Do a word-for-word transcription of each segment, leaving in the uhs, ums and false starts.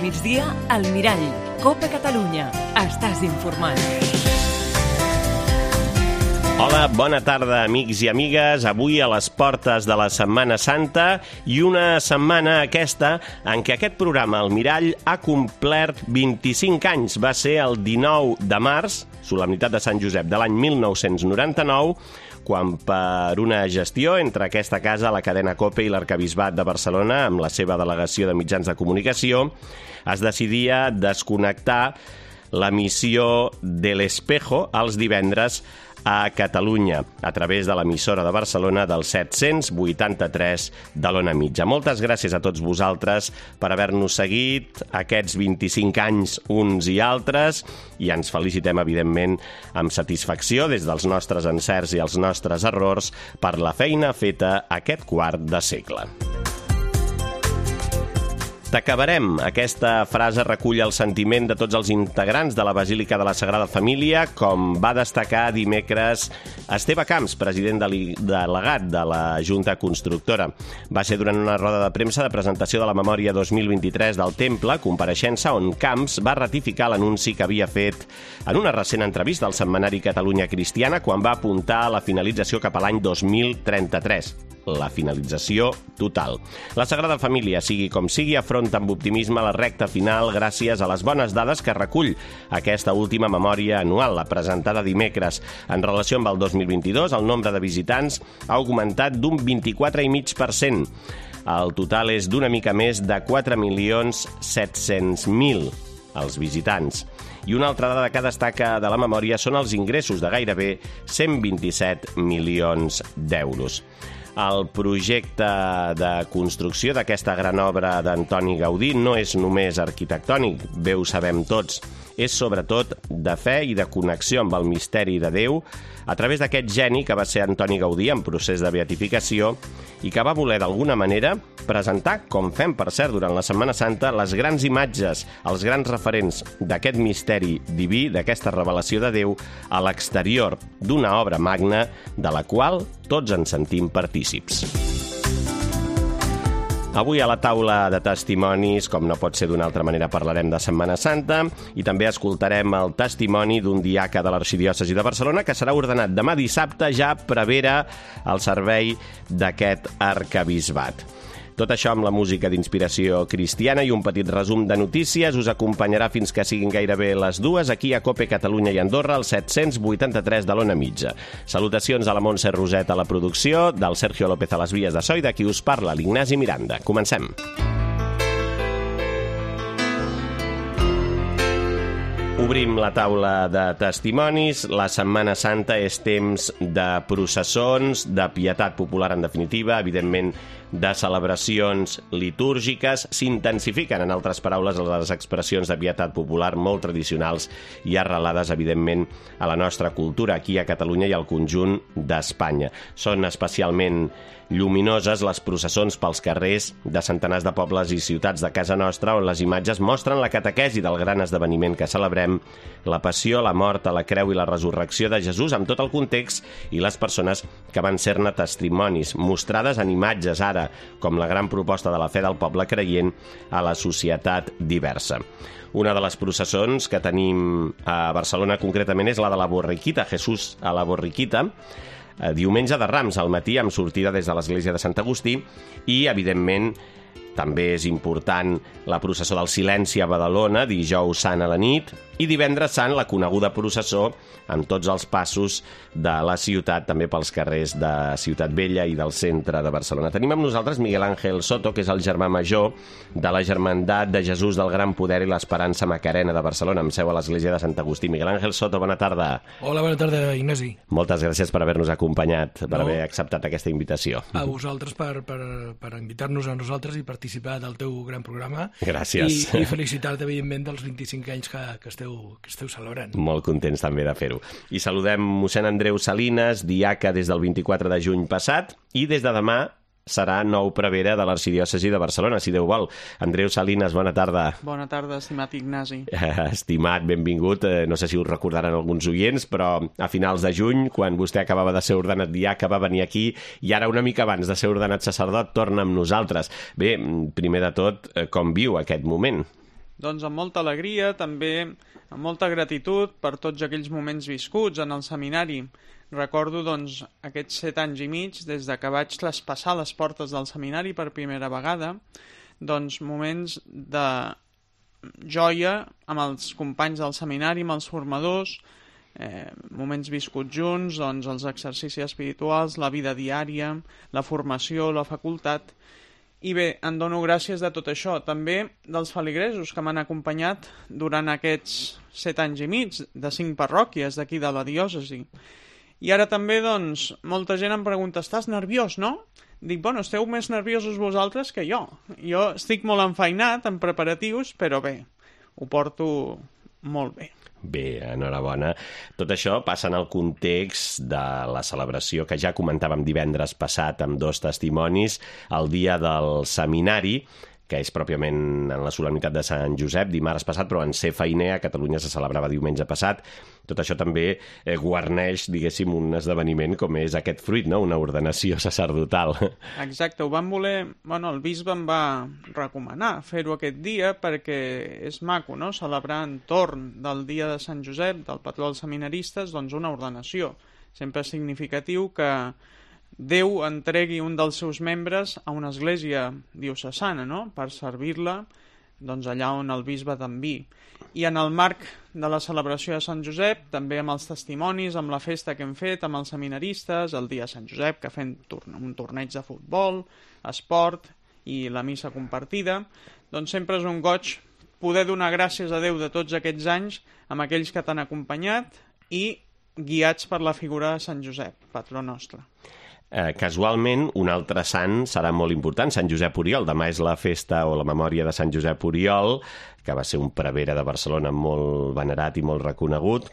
migdia, al Mirall. Copa Catalunya. Estàs informat. Hola, bona tarda, amics i amigues. Avui a les portes de la Setmana Santa i una setmana aquesta en què aquest programa, El Mirall, ha complert vint-i-cinc anys. Va ser el dinou de març, solemnitat de Sant Josep de l'any mil nou-cents noranta-nou, quan per una gestió entre aquesta casa, la cadena COPE i l'Arquebisbat de Barcelona, amb la seva delegació de mitjans de comunicació, es decidia desconnectar l'emissió de l'Espejo els divendres a Catalunya, a través de l'emissora de Barcelona del set-cents vuitanta-tres de l'Ona Mitja. Moltes gràcies a tots vosaltres per haver-nos seguit aquests vint-i-cinc anys uns i altres i ens felicitem, evidentment, amb satisfacció des dels nostres encerts i els nostres errors per la feina feta aquest quart de segle. T'acabarem. Aquesta frase recull el sentiment de tots els integrants de la Basílica de la Sagrada Família, com va destacar dimecres Esteve Camps, president delegat de la Junta Constructora. Va ser durant una roda de premsa de presentació de la memòria dos mil vint-i-tres del Temple, compareixença on Camps va ratificar l'anunci que havia fet en una recent entrevista al setmanari Catalunya Cristiana quan va apuntar a la finalització cap a l'any dos mil trenta-tres. La finalització total. La Sagrada Família, sigui com sigui, afronta amb optimisme la recta final gràcies a les bones dades que recull aquesta última memòria anual, la presentada dimecres. En relació amb el dos mil vint-i-dos, el nombre de visitants ha augmentat d'un vint-i-quatre coma cinc per cent. El total és d'una mica més de quatre milions set-cents mil els visitants. I una altra dada que destaca de la memòria són els ingressos de gairebé cent vint-i-set milions d'euros. El projecte de construcció d'aquesta gran obra d'Antoni Gaudí no és només arquitectònic, bé ho sabem tots, és sobretot de fe i de connexió amb el misteri de Déu a través d'aquest geni que va ser Antoni Gaudí en procés de beatificació i que va voler d'alguna manera presentar, com fem per cert durant la Setmana Santa, les grans imatges, els grans referents d'aquest misteri diví, d'aquesta revelació de Déu a l'exterior d'una obra magna de la qual tots ens sentim partícips. Avui a la taula de testimonis, com no pot ser d'una altra manera, parlarem de Setmana Santa i també escoltarem el testimoni d'un diaca de l'Arxidiòcesi de Barcelona que serà ordenat demà dissabte ja prevere al servei d'aquest arquebisbat. Tot això amb la música d'inspiració cristiana i un petit resum de notícies us acompanyarà fins que siguin gairebé les dues aquí a COPE Catalunya i Andorra, al set-cents vuitanta-tres de l'Ona Mitja. Salutacions a la Montse Roset a la producció, del Sergio López a les vies de so i de qui us parla, l'Ignasi Miranda. Comencem. Obrim la taula de testimonis. La Setmana Santa és temps de processons, de pietat popular en definitiva, evidentment de celebracions litúrgiques. S'intensifiquen, en altres paraules, les expressions de pietat popular molt tradicionals i arrelades, evidentment, a la nostra cultura aquí a Catalunya i al conjunt d'Espanya. Són especialment lluminoses les processons pels carrers de centenars de pobles i ciutats de casa nostra on les imatges mostren la catequesi del gran esdeveniment que celebrem, la passió, la mort, la creu i la resurrecció de Jesús amb tot el context i les persones que van ser-ne testimonis, mostrades en imatges ara, com la gran proposta de la fe del poble creient a la societat diversa. Una de les processons que tenim a Barcelona concretament és la de la Borriquita, Jesús a la Borriquita, diumenge de Rams al matí amb sortida des de l'església de Sant Agustí i, evidentment, també és important la processó del Silenci a Badalona, dijous sant a la nit, i divendres sant la coneguda processó amb tots els passos de la ciutat, també pels carrers de Ciutat Vella i del centre de Barcelona. Tenim amb nosaltres Miguel Ángel Soto, que és el germà major de la Germandat de Jesús del Gran Poder i l'Esperança Macarena de Barcelona, amb seu a l'església de Sant Agustí. Miguel Ángel Soto, bona tarda. Hola, bona tarda, Ignasi. Moltes gràcies per haver-nos acompanyat, per no. haver acceptat aquesta invitació. A vosaltres per, per, per invitar-nos a nosaltres i participar del teu gran programa. Gràcies. I, i felicitar-te, evidentment, dels vint-i-cinc anys que, que esteu que esteu celebrant. Molt contents també de fer-ho. I saludem mossèn Andreu Salines, diaca des del vint-i-quatre de juny passat, i des de demà serà nou prevere de l'Arxidiòcesi de Barcelona, si Déu vol. Andreu Salines, bona tarda. Bona tarda, estimat Ignasi. Estimat, benvingut. No sé si us recordaran alguns oients, però a finals de juny, quan vostè acabava de ser ordenat diaca, va venir aquí, i ara una mica abans de ser ordenat sacerdot torna amb nosaltres. Bé, primer de tot, com viu aquest moment? Doncs amb molta alegria, també amb molta gratitud per tots aquells moments viscuts en el seminari. Recordo doncs aquests set anys i mig des de que vaig traspassar les portes del seminari per primera vegada, doncs moments de joia amb els companys del seminari, amb els formadors, eh, moments viscuts junts, doncs els exercicis espirituals, la vida diària, la formació, la facultat. I bé, en dono gràcies de tot això, també dels feligresos que m'han acompanyat durant aquests set anys i mig, de cinc parròquies d'aquí de la diòcesi. I ara també, doncs, molta gent em pregunta, estàs nerviós, no? Dic, bueno, esteu més nerviosos vosaltres que jo. Jo estic molt enfeinat en preparatius, però bé, ho porto molt bé. Bé, enhorabona. Tot això passa en el context de la celebració que ja comentàvem divendres passat amb dos testimonis, el dia del seminari, que és pròpiament en la solemnitat de Sant Josep, dimarts passat, però en ser feiner a Catalunya se celebrava diumenge passat. Tot això també eh, guarneix, diguéssim, un esdeveniment com és aquest fruit, no? Una ordenació sacerdotal. Exacte, ho van voler... Bueno, el bisbe em va recomanar fer-ho aquest dia perquè és maco, no?, celebrar entorn del dia de Sant Josep, del patró dels seminaristes, doncs una ordenació. Sempre és significatiu que Déu entregui un dels seus membres a una església diocesana, no?, per servir-la doncs allà on el bisbe t'enviï. I en el marc de la celebració de Sant Josep, també amb els testimonis, amb la festa que hem fet, amb els seminaristes, el dia de Sant Josep, que fem un torneig de futbol, esport i la missa compartida, doncs sempre és un goig poder donar gràcies a Déu de tots aquests anys amb aquells que t'han acompanyat i guiats per la figura de Sant Josep, patró nostre. Eh, casualment, un altre sant serà molt important, Sant Josep Oriol. Demà és la festa o la memòria de Sant Josep Oriol, que va ser un prevere de Barcelona molt venerat i molt reconegut.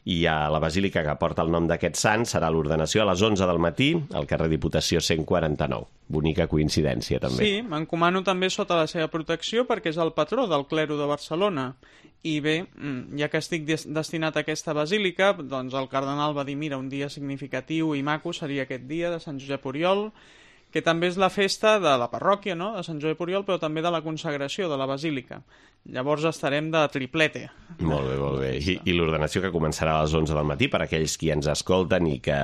I a la basílica que porta el nom d'aquest sant serà l'ordenació a les onze del matí al carrer Diputació cent quaranta-nou. Bonica coincidència, també. Sí, m'encomano també sota la seva protecció perquè és el patró del clero de Barcelona. I bé, ja que estic des destinat a aquesta basílica, doncs el cardenal va dir, mira, un dia significatiu i maco seria aquest dia de Sant Josep Oriol, que també és la festa de la parròquia, no?, de Sant Josep Oriol, però també de la consagració de la basílica. Llavors estarem de triplete. Molt bé, molt bé. I, i l'ordenació que començarà a les onze del matí per a aquells qui ens escolten i que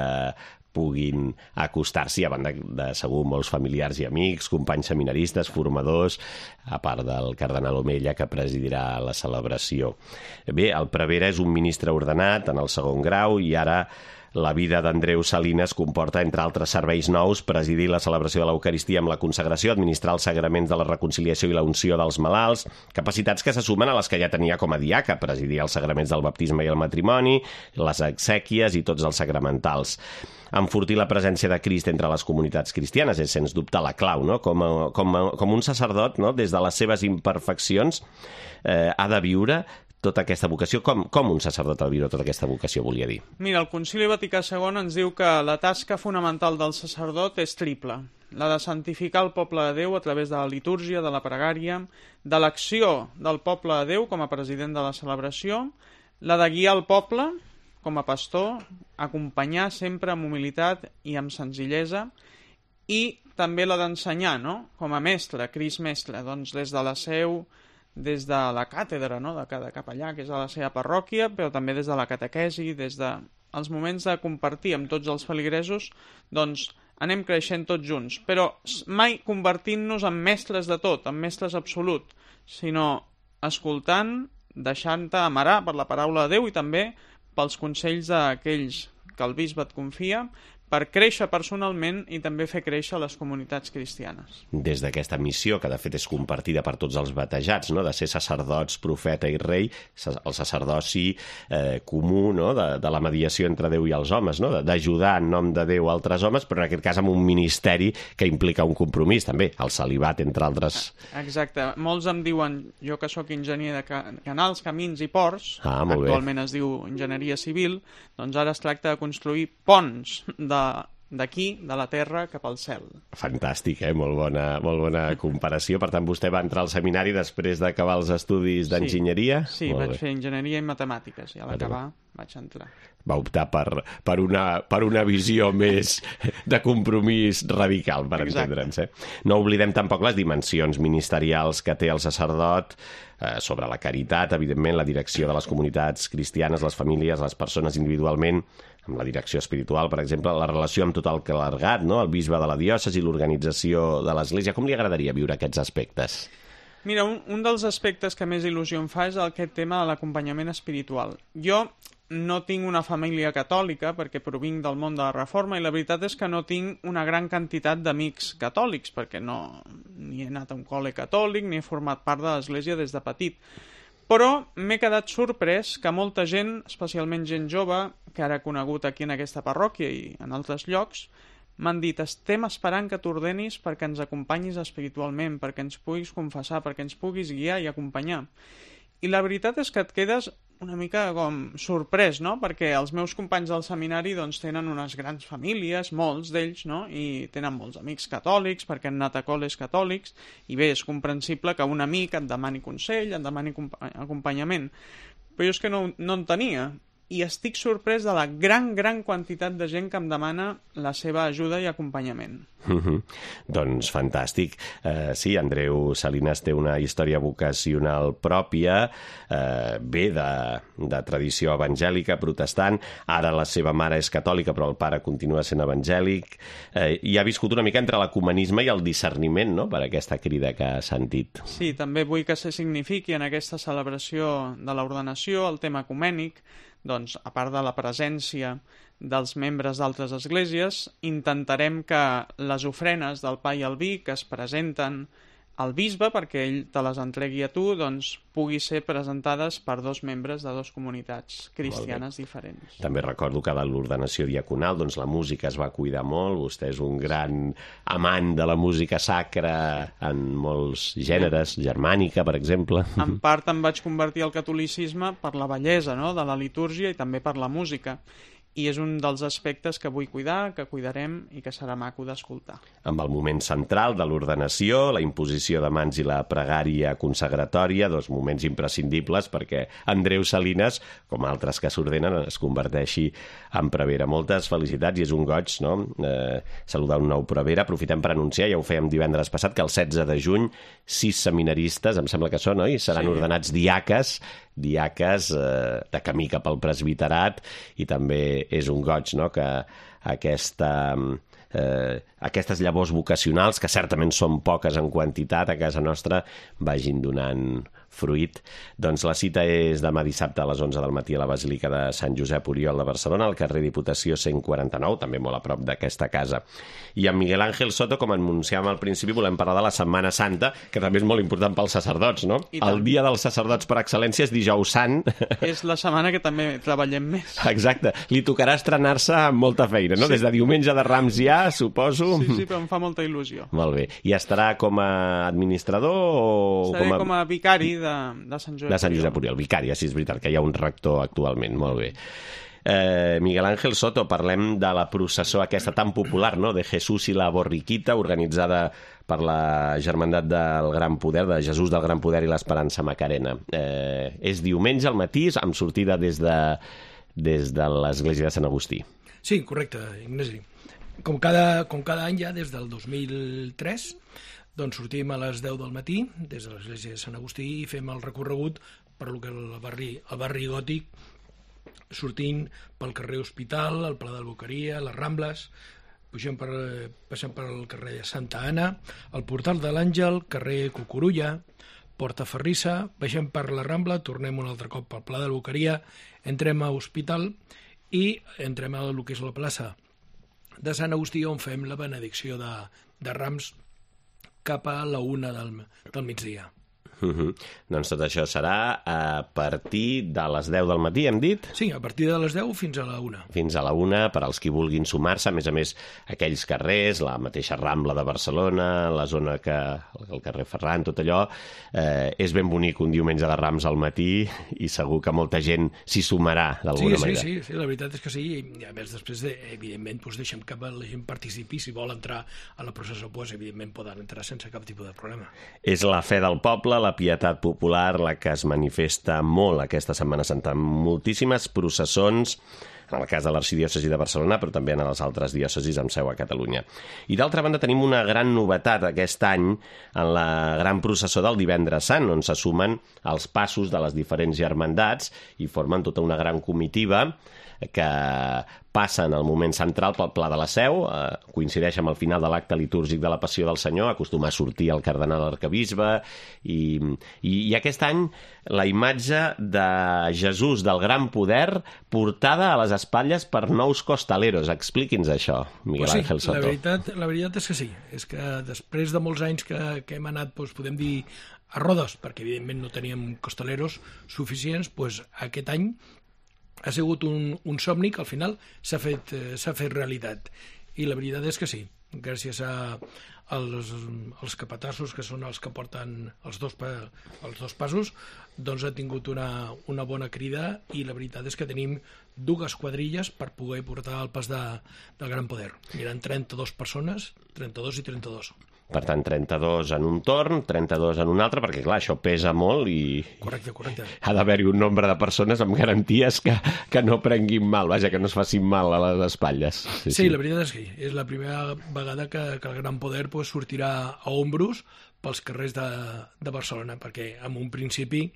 puguin acostar-s'hi, a banda de segur molts familiars i amics, companys seminaristes, formadors, a part del cardenal Omella, que presidirà la celebració. Bé, el prevere és un ministre ordenat en el segon grau i ara la vida d'Andreu Salines comporta, entre altres serveis nous, presidir la celebració de l'Eucaristia amb la consagració, administrar els sagraments de la reconciliació i la unció dels malalts, capacitats que se sumen a les que ja tenia com a diaca, presidir els sagraments del baptisme i el matrimoni, les exèquies i tots els sacramentals. Enfortir la presència de Crist entre les comunitats cristianes és, sens dubte, la clau, no? Com, a, com, a, com un sacerdot, no?, des de les seves imperfeccions, eh, ha de viure tota aquesta vocació. Com, com un sacerdot ha de viure tota aquesta vocació, volia dir? Mira, el Concili Vaticà segon ens diu que la tasca fonamental del sacerdot és triple. La de santificar el poble de Déu a través de la litúrgia, de la pregària, de l'acció del poble de Déu com a president de la celebració, la de guiar el poble com a pastor, acompanyar sempre amb humilitat i amb senzillesa, i també la d'ensenyar, no?, com a mestre, Crist mestre, doncs des de la seu, des de la càtedra, no?, de cada capellà, que és a la seva parròquia, però també des de la catequesi, des de els moments de compartir amb tots els feligresos, doncs anem creixent tots junts, però mai convertint-nos en mestres de tot, en mestres absolut, sinó escoltant, deixant-te amarar per la paraula de Déu i també pels consells d'aquells que el bisbe et confia, per créixer personalment i també fer créixer les comunitats cristianes. Des d'aquesta missió, que de fet és compartida per tots els batejats, no?, de ser sacerdots, profeta i rei, el sacerdoci eh, comú, no?, de, de la mediació entre Déu i els homes, no?, d'ajudar en nom de Déu a altres homes, però en aquest cas amb un ministeri que implica un compromís també, el celibat, entre altres. Exacte. Molts em diuen, jo que sóc enginyer de canals, camins i ports, ah, actualment es diu enginyeria civil, doncs ara es tracta de construir ponts de d'aquí, de la terra, cap al cel. Fantàstic, eh? Molt bona, molt bona comparació. Per tant, vostè va entrar al seminari després d'acabar els estudis d'enginyeria? Sí, sí, vaig fer enginyeria i matemàtiques, i a l'acabar vaig entrar. Va optar per, per, una, per una visió més de compromís radical, per entendre'ns. Eh? No oblidem tampoc les dimensions ministerials que té el sacerdot eh, sobre la caritat, evidentment, la direcció de les comunitats cristianes, les famílies, les persones individualment, amb la direcció espiritual, per exemple, la relació amb tot el clergat, no? El bisbe de la diòcesi, l'organització de l'Església. Com li agradaria viure aquests aspectes? Mira, un, un dels aspectes que més il·lusió em fa és aquest tema de l'acompanyament espiritual. Jo no tinc una família catòlica perquè provinc del món de la Reforma i la veritat és que no tinc una gran quantitat d'amics catòlics perquè no ni he anat a un col·le catòlic ni he format part de l'Església des de petit. Però m'he quedat sorprès que molta gent, especialment gent jove, que ara he conegut aquí en aquesta parròquia i en altres llocs, m'han dit, estem esperant que t'ordenis perquè ens acompanyis espiritualment, perquè ens puguis confessar, perquè ens puguis guiar i acompanyar. I la veritat és que et quedes una mica com sorprès, no? Perquè els meus companys del seminari doncs, tenen unes grans famílies, molts d'ells, no? I tenen molts amics catòlics perquè han anat a col·les catòlics i bé, és comprensible que un amic et demani consell, et demani acompanyament. Però jo és que no, no en tenia. I estic sorprès de la gran, gran quantitat de gent que em demana la seva ajuda i acompanyament. Mm-hmm. Doncs fantàstic. Uh, sí, Andreu Salinas té una història vocacional pròpia, uh, ve de, de tradició evangèlica, protestant, ara la seva mare és catòlica però el pare continua sent evangèlic, uh, i ha viscut una mica entre l'ecumenisme i el discerniment, no?, per aquesta crida que ha sentit. Sí, també vull que se signifiqui en aquesta celebració de l'ordenació el tema ecumènic, doncs, a part de la presència dels membres d'altres esglésies, intentarem que les ofrenes del pa i el vi que es presenten al bisbe perquè ell te les entregui a tu, doncs pugui ser presentades per dos membres de dues comunitats cristianes diferents. També recordo que de l'ordenació diaconal doncs la música es va cuidar molt, vostè és un gran amant de la música sacra en molts gèneres, germànica, per exemple. En part em vaig convertir al catolicisme per la bellesa, no?, de la litúrgia i també per la música. I és un dels aspectes que vull cuidar, que cuidarem i que serà maco d'escoltar. Amb el moment central de l'ordenació, la imposició de mans i la pregària consagratòria, dos moments imprescindibles perquè Andreu Salinas, com altres que s'ordenen, es converteixi en prevera. Moltes felicitats i és un goig, no?, eh, saludar un nou prevera. Aprofitem per anunciar, ja ho fèiem divendres passat, que el setze de juny sis seminaristes, em sembla que són, oi?, seran sí. ordenats diaques, diaques eh, de camí cap al presbiterat, i també és un goig, no?, que aquesta, eh, aquestes llavors vocacionals, que certament són poques en quantitat a casa nostra, vagin donant fruit. Doncs la cita és demà dissabte a les onze del matí a la Basílica de Sant Josep Oriol de Barcelona, al carrer Diputació cent quaranta-nou, també molt a prop d'aquesta casa. I amb Miguel Ángel Soto, com anunciàvem al principi, volem parlar de la Setmana Santa, que també és molt important pels sacerdots, no? El dia dels sacerdots per excel·lència és Dijous Sant. És la setmana que també treballem més. Exacte. Li tocarà estrenar-se amb molta feina, no? Sí. Des de diumenge de Rams ja, suposo. Sí, sí, però em fa molta il·lusió. Molt bé. I estarà com a administrador o... Estaré com a, com a vicari de, de Sant Josep de Sant Josep Oriol. Vicari, sí, és veritat que hi ha un rector actualment. Molt bé. Eh, Miguel Ángel Soto, parlem de la processó aquesta tan popular, no?, de Jesús i la Borriquita, organitzada per la Germandat del Gran Poder, de Jesús del Gran Poder i l'Esperança Macarena. Eh, és diumenge al matí, amb sortida des de, des de l'església de Sant Agustí. Sí, correcte, Ignasi. Com cada, com cada any ja, des del dos mil tres, doncs sortim a les deu del matí des de l'església de Sant Agustí i fem el recorregut per lo que el barri, el barri gòtic, sortint pel carrer Hospital, el Pla d'Alboqueria, les Rambles, pugem per, passem per el carrer de Santa Anna, el Portal de l'Àngel, carrer Cucurulla, Porta Ferrissa, baixem per la Rambla, tornem un altre cop pel Pla d'Alboqueria, entrem a Hospital i entrem a lo que és la plaça de Sant Agustí, on fem la benedicció de, de Rams cap a la una del, del migdia. Uh-huh. Doncs tot això serà a partir de les deu del matí, hem dit? Sí, a partir de les deu fins a la una. Fins a la una, per als qui vulguin sumar-se. A més a més, aquells carrers, la mateixa Rambla de Barcelona, la zona que... el carrer Ferran, tot allò, eh, és ben bonic un diumenge de Rams al matí i segur que molta gent s'hi sumarà d'alguna sí, manera. Sí, sí, sí, la veritat és que sí. I a més, després, de, evidentment, doncs deixem que la gent participi. Si vol entrar a la processó, doncs, evidentment, poden entrar sense cap tipus de problema. És la fe del poble, la la pietat popular la que es manifesta molt aquesta Setmana Santa. Moltíssimes processons, en el cas de l'arxidiòcesi de Barcelona, però també en les altres diòcesis amb seu a Catalunya. I d'altra banda tenim una gran novetat aquest any en la gran processó del Divendres Sant, on se sumen els passos de les diferents germandats i formen tota una gran comitiva que passa en el moment central pel Pla de la Seu, eh, coincideix amb el final de l'acte litúrgic de la Passió del Senyor, acostuma a sortir el cardenal arquebisbe, i, i, i aquest any la imatge de Jesús del Gran Poder portada a les espatlles per nous costaleros. Expliqui'ns això, Miguel pues sí, Ángel Soto. La veritat, la veritat és que sí, és que després de molts anys que, que hem anat, doncs, podem dir, a rodes, perquè evidentment no teníem costaleros suficients, doncs aquest any ha sigut un, un somni que al final s'ha fet, eh, s'ha fet realitat. I la veritat és que sí, gràcies a, als, als capatassos, que són els que porten els dos, pa, els dos passos, doncs ha tingut una, una bona crida, i la veritat és que tenim dues quadrilles per poder portar el pas de, del Gran Poder. Miren trenta-dues persones, trenta-dos i trenta-dos. Per tant, trenta-dos en un torn, trenta-dos en un altre, perquè, clar, això pesa molt i... Correcte, correcte. Ha d'haver-hi un nombre de persones amb garanties que, que no prenguin mal, vaja, que no es facin mal a les espatlles. Sí, sí, la veritat és que és la primera vegada que, que el Gran Poder pues, sortirà a ombros pels carrers de, de Barcelona, perquè en un principi,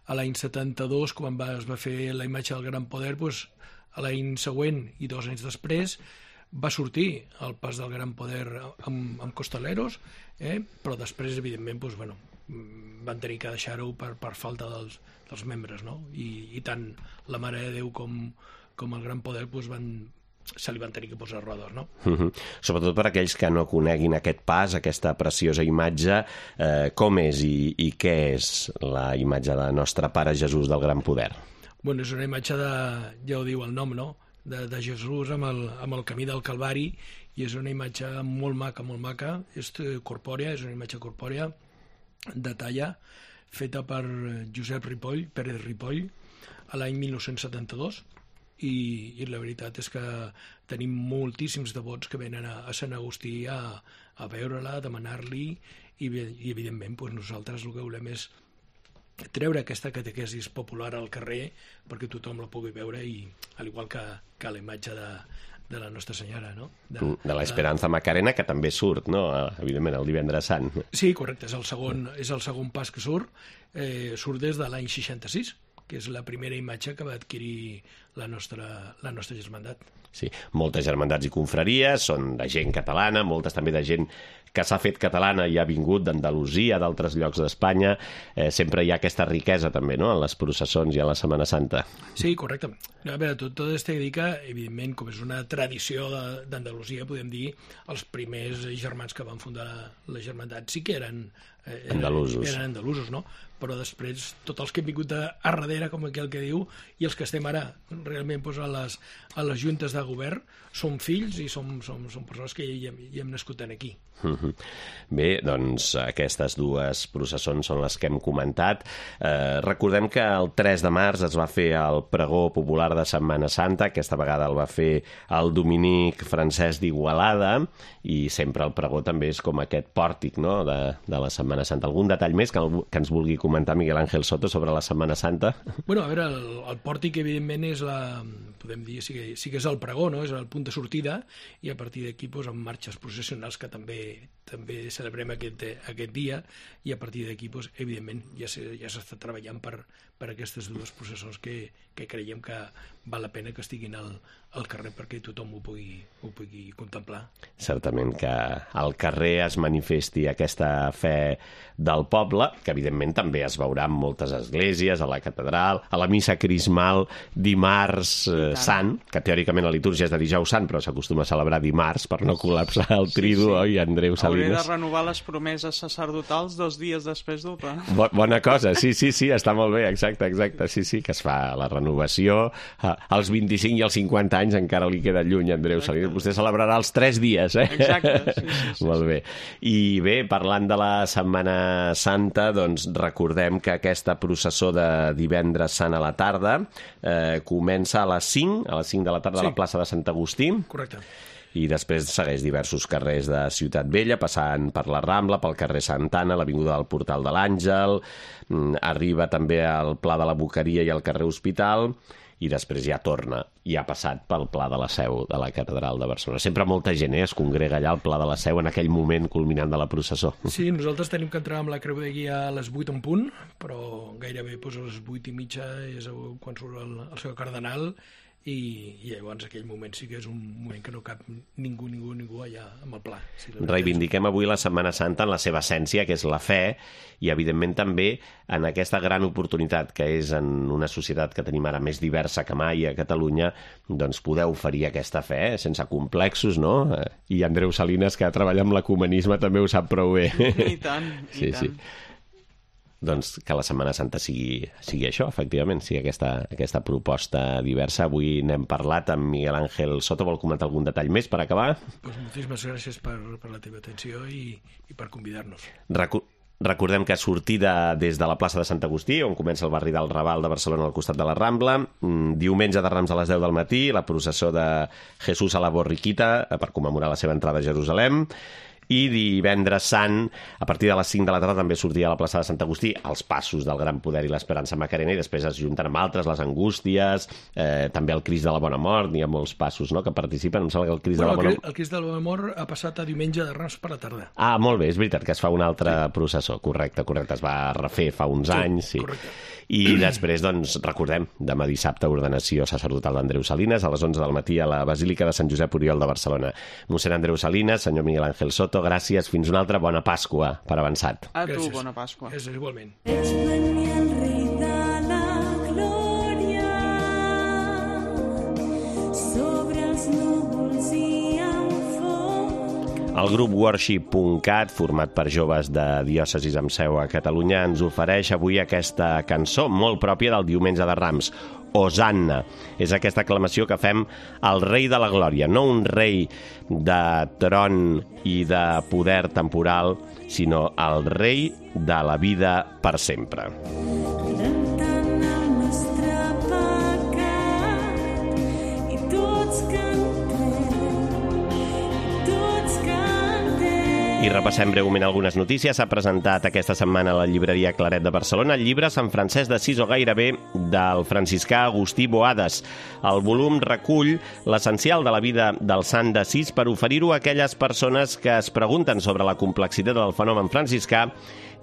a l'any setanta-dos, quan va, es va fer la imatge del Gran Poder, pues, a l'any següent i dos anys després, va sortir el pas del Gran Poder amb, amb costaleros, eh? Però després, evidentment, doncs, bueno, van tenir que deixar-ho per, per falta dels, dels membres, no? I, i tant la Mare de Déu com, com el Gran Poder doncs, van, se li van tenir que posar rodes, no? Uh-huh. Sobretot per aquells que no coneguin aquest pas, aquesta preciosa imatge, eh, com és i, i què és la imatge de nostre Pare Jesús del Gran Poder? Bueno, és una imatge de, ja ho diu el nom, no?, de, de Jesús amb el, amb el camí del Calvari, i és una imatge molt maca, molt maca, és corpòrea, és una imatge corpòrea de talla, feta per Josep Ripoll, Pérez Ripoll, a l'any mil nou-cents setanta-dos, i, i la veritat és que tenim moltíssims devots que venen a, a Sant Agustí a, a veure-la, a demanar-li, i, i evidentment doncs nosaltres el que volem és treure aquesta catequesis popular al carrer perquè tothom la pugui veure, i al igual que, que la imatge de, de la Nostra Senyora, no? De, de l'Esperanza Macarena, que també surt, no?, evidentment, el Divendres Sant. Sí, correcte, és el segon, és el segon pas que surt, eh, surt des de l'any seixanta-sis, que és la primera imatge que va adquirir la nostra, la nostra germandat. Sí, moltes germandats i confraries, són de gent catalana, moltes també de gent que s'ha fet catalana i ha vingut d'Andalusia, d'altres llocs d'Espanya. Eh, sempre hi ha aquesta riquesa també, no?, en les processons i en la Setmana Santa. Sí, correcte. A veure, tot, tot es té que dir que, evidentment, com és una tradició d'Andalusia, podem dir, els primers germans que van fundar la germandat sí que eren, eh, eren, andalusos. eren andalusos, no? Però després tots els que hem vingut a, a darrere, com aquell que diu, i els que estem ara realment doncs, a, les, a les juntes de govern, som fills i som, som, som persones que hi hem, hi hem nascut aquí. Uh-huh. Bé, doncs aquestes dues processons són les que hem comentat. Eh, recordem que el tres de març es va fer el pregó popular de Setmana Santa, aquesta vegada el va fer el dominic Francesc d'Igualada, i sempre el pregó també és com aquest pòrtic, no?, de, de la Setmana Santa. Algun detall més que, el, que ens vulgui comentar Miguel Ángel Soto sobre la Setmana Santa? Bueno, a veure, el, el pòrtic evidentment és la, podem dir, sí que, sí que és el pregó, no?, és el punt de sortida, i a partir d'aquí doncs, amb marxes processionals que també també celebrem aquest, aquest dia, i a partir d'aquí, doncs, evidentment, ja s'està ja treballant per, per aquestes dues processons que, que creiem que val la pena que estiguin al, al carrer perquè tothom ho pugui, ho pugui contemplar. Certament que al carrer es manifesti aquesta fe del poble, que evidentment també es veurà en moltes esglésies, a la catedral, a la missa crismal dimarts eh, sant, que teòricament la litúrgia és de dijous sant, però s'acostuma a celebrar dimarts per no col·lapsar el tridu, sí, sí. Oi, Andreu Salinas? Hauré de renovar les promeses sacerdotals dos dies després d'Opa. Bo bona cosa, sí, sí, sí, està molt bé, exacte, exacte, sí, sí, que es fa la renovació. Als vint-i-cinc i als cinquanta anys encara li queda lluny, Andreu Salinas. Vostè celebrarà els tres dies, eh? Exacte, sí, sí, sí. Molt bé. I bé, parlant de la Setmana Santa, doncs recordem que aquesta processó de Divendres Sant a la tarda eh, comença a les cinc, a les cinc de la tarda, sí, a la plaça de Sant Agustí. Correcte. i després segueix diversos carrers de Ciutat Vella, passant per la Rambla, pel carrer Santana, l'avinguda del Portal de l'Àngel, arriba també al Pla de la Boqueria i al carrer Hospital, i després ja torna i ha passat pel Pla de la Seu de la Catedral de Barcelona. Sempre molta gent eh, es congrega allà al Pla de la Seu en aquell moment culminant de la processó. Sí, nosaltres tenim que entrar amb la creu de guia a les vuit en punt, però gairebé doncs, a les vuit i mitja és quan surt el, el seu cardenal, i, i llavors aquell moment sí que és un moment que no cap ningú, ningú, ningú allà amb el pla. Sí, reivindiquem avui la Setmana Santa en la seva essència, que és la fe, i evidentment també en aquesta gran oportunitat que és en una societat que tenim ara més diversa que mai a Catalunya, doncs poder oferir aquesta fe eh, sense complexos, no? I Andreu Salinas, que treballa amb l'ecumenisme, també ho sap prou bé. I tant, i sí, tant. Sí. Doncs que la Setmana Santa sigui, sigui això, efectivament, sigui aquesta, aquesta proposta diversa. Avui n'hem parlat amb Miguel Ángel Soto. Vol comentar algun detall més per acabar? Pues moltíssimes gràcies per, per la teva atenció i, i per convidar-nos. Recu Recordem que sortida des de la plaça de Sant Agustí, on comença el barri del Raval de Barcelona al costat de la Rambla, diumenge de Rams a les deu del matí, la processó de Jesús a la Borriquita per commemorar la seva entrada a Jerusalem, i divendres sant, a partir de les cinc de la tarda, també sortia a la plaça de Sant Agustí els passos del Gran Poder i l'Esperança Macarena, i després es junten amb altres, les Angústies, eh, també el Crist de la Bona Mort, n'hi ha molts passos no, que participen. Em sembla que el Crist bueno, de la Bona Mort... El Crist de la Bona Mort ha passat a diumenge de Rams per la tarda. Ah, molt bé, és veritat que es fa una altra sí. processó, correcte, correcte, es va refer fa uns sí, anys. Sí, correcte. I després, doncs, recordem, demà dissabte, ordenació sacerdotal d'Andreu Salinas, a les onze del matí a la Basílica de Sant Josep Oriol de Barcelona. Mossèn Andreu Salinas, senyor Miguel Ángel Soto, gràcies, fins una altra bona Pasqua per avançat. A tu, gràcies. bona Pasqua. És igualment. Ets venia el rei de la glòria, sobre els núvols i en foc. El grup worship punt cat, format per joves de diòcesis amb seu a Catalunya, ens ofereix avui aquesta cançó molt pròpia del diumenge de Rams, Hosanna. És aquesta aclamació que fem al rei de la glòria, no un rei de tron i de poder temporal, sinó el rei de la vida per sempre. Rentant el nostre pecat i tots cantem, i tots cantem. I repassem breument algunes notícies. S'ha presentat aquesta setmana a la llibreria Claret de Barcelona el llibre Sant Francesc d'Assís o gairebé del franciscà Agustí Boades. El volum recull l'essencial de la vida del sant d'Assís per oferir-ho a aquelles persones que es pregunten sobre la complexitat del fenomen franciscà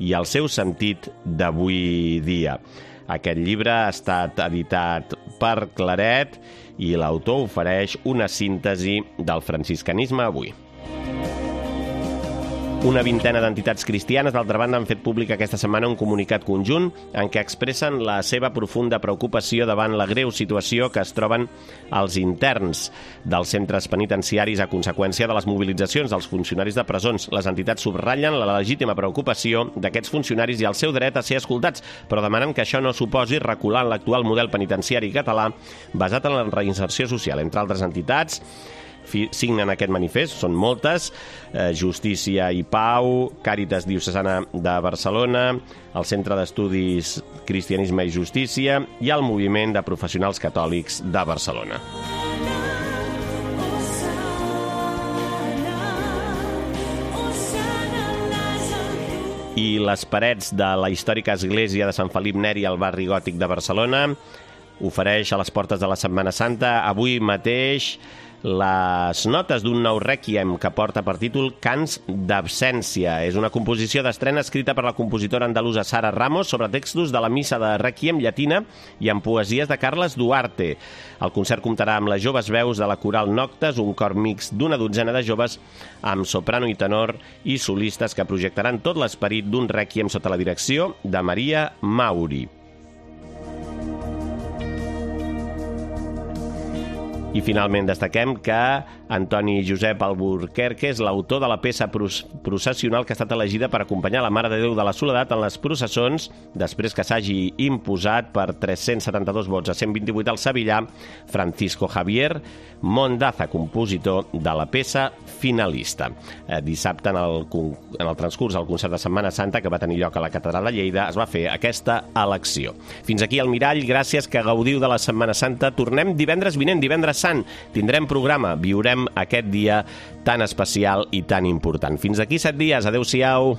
i el seu sentit d'avui dia. Aquest llibre ha estat editat per Claret i l'autor ofereix una síntesi del franciscanisme avui. Una vintena d'entitats cristianes, d'altra banda, han fet públic aquesta setmana un comunicat conjunt en què expressen la seva profunda preocupació davant la greu situació que es troben els interns dels centres penitenciaris a conseqüència de les mobilitzacions dels funcionaris de presons. Les entitats subratllen la legítima preocupació d'aquests funcionaris i el seu dret a ser escoltats, però demanen que això no suposi recular en l'actual model penitenciari català basat en la reinserció social. Entre altres entitats signen aquest manifest, són moltes, eh, Justícia i Pau, Càritas Diocesana de Barcelona, el Centre d'Estudis Cristianisme i Justícia i el Moviment de Professionals Catòlics de Barcelona. I les parets de la històrica església de Sant Felip Neri al barri gòtic de Barcelona ofereix a les portes de la Setmana Santa avui mateix les notes d'un nou rèquiem que porta per títol Cants d'absència. És una composició d'estrena escrita per la compositora andalusa Sara Ramos sobre textos de la missa de rèquiem llatina i amb poesies de Carles Duarte. El concert comptarà amb les joves veus de la coral Noctes, un cor mixt d'una dotzena de joves amb soprano i tenor i solistes que projectaran tot l'esperit d'un rèquiem sota la direcció de Maria Mauri. I finalment destaquem que Antoni Josep Alburquerque és l'autor de la peça processional que ha estat elegida per acompanyar la Mare de Déu de la Soledat en les processons després que s'hagi imposat per tres-cents setanta-dos vots a cent vint-i-vuit al sevillà Francisco Javier Mondaza, compositor de la peça finalista. Eh, dissabte, en el, en el transcurs del concert de Setmana Santa que va tenir lloc a la Catedral de Lleida, es va fer aquesta elecció. Fins aquí el Mirall, gràcies, que gaudiu de la Setmana Santa. Tornem divendres vinent, divendres sant. Tindrem programa, viurem celebrem aquest dia tan especial i tan important. Fins aquí set dies. Adéu-siau.